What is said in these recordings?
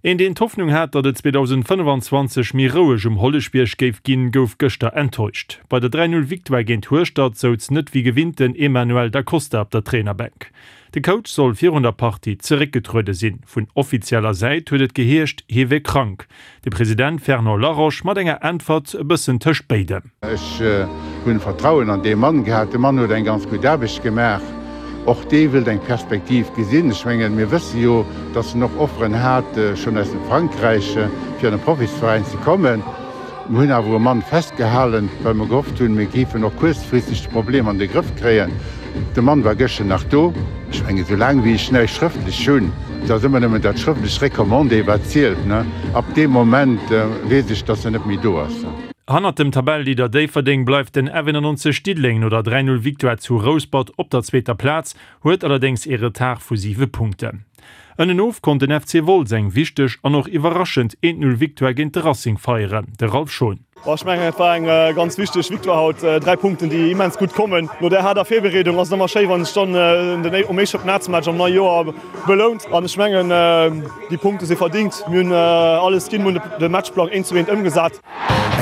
Een deen d'Hoffnung hat, datt et 2025 méi roueg um Holleschbierg géif ginn, gouf gëschter enttäuscht. Bei der 3 Null Victoire géint Hueschtert souz net wéi gewinnt den Emanuel Da Costa op der Trainerbänk. De Coach soll virun der Partie zeréckgetruede sinn. Vun offizieller Säit huet et geheescht, hie wier krank. De President Fernand Laroche mat enger Äntwert e bëssen tëscht béidem. Ech hunn Vertrauen an dee Mann gehat. De Mann huet eng ganz gutt Aarbecht gemaach. Och dee wëllt eng Perspektiv gesinn. Ech mengen, mir wësse jo, datt en och Offeren hat, schonn aus dem Frankräich, fir an e Profisveräin ze kommen. Mir hunn awer um Mann festgehalen, well mer gehofft hunn, mir géifen och kuerzfristeg de Problem an de Grëff kréien. De Mann war gëschter nach do. Ech mengen, esou laang wéi ech näischt schrëftlech hunn, et ass ëmmer nëmmen dat schrëftlech Recommandé, wat zielt, ab deem Moment weess ech, datt en net méi do ass. Hannert dem Tabelleleader Déifferdeng bleift den F91 Diddeleng no der 3, 0 Victoire zu Rouspert op der zweeter Plaz, huet allerdéngs ee Retard vu 7 Punkten. Ënnenof konnt den FC Wolz eng wichteg an och iwwerraschend 1, 0 Victoire géint de Racing feieren. De Ralph Schon. Ech mengen et war eng ganz wichteg Victoire haut. 3 Punkten déi immens gutt kommen. No där haarder Virbereedung ass et ëmmer schéi wann sech dann den um éischte Championnats-Match am neie Joer belount. An ech mengen déi Punkte si verdingt. Mir hunn alles ginn, mir hunn de Matchplang eent zu eent ëmgesat.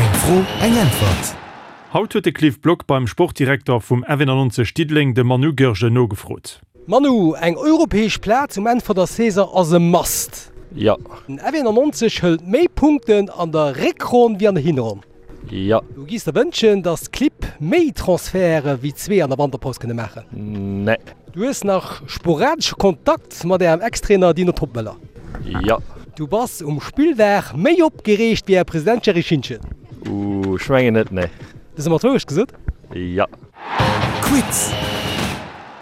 Eng Fro, eng Äntwert. Haut huet de Cliff Block beim Sportdirekter vum F91 Diddeleng, dem Manu Goergen, nogefrot. Manu, eng europäesch Plaz um Enn vun der Saison ass e Must. Jo. Den F91 hëlt méi Punkten an der Réckronn wéi an der Hinronn. Jo. Du giffs der wënschen, dass d'Clibb méi Transferte wéi zwee an der Wanterpaus kënne maachen? Nee. Du hues nach sporadesche Kontakt mat ärem Ex-Trainer Dino Toppmöller? Jo. Du bass um Spilldag méi opgereegt wéi är President Jerry Schintgen? Ooh, ech mengen net, nee. Hues de mer d'Wourecht gesot? Jo. Quiz!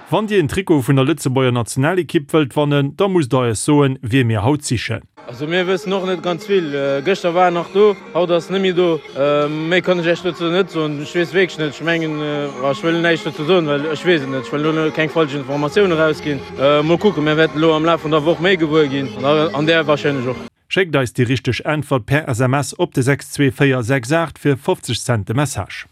Wann dir en Trikot vun der Lëtzebuerger Nationalekipp wëllt wannen, da musst der eis soen, wie mir haut sichen. Also mir wëssen och net ganz vill. Gëschter war en nach do, haut ass en net méi do. Méi kann ech Iech dozou net soen. Ech weess wierklech net. Ech mengen, ech wëll näischt dozou soen, well ech weess et net. Ech wëll elo keng falsch Informatioune erausginn. Mol kucken, mir wäerten elo am Laf vun der Woch méi gewuer ginn an där warscheinlech och. Schéckt eis déi richteg Äntwert per SMS op de 62468 fir 50 Cent de Message.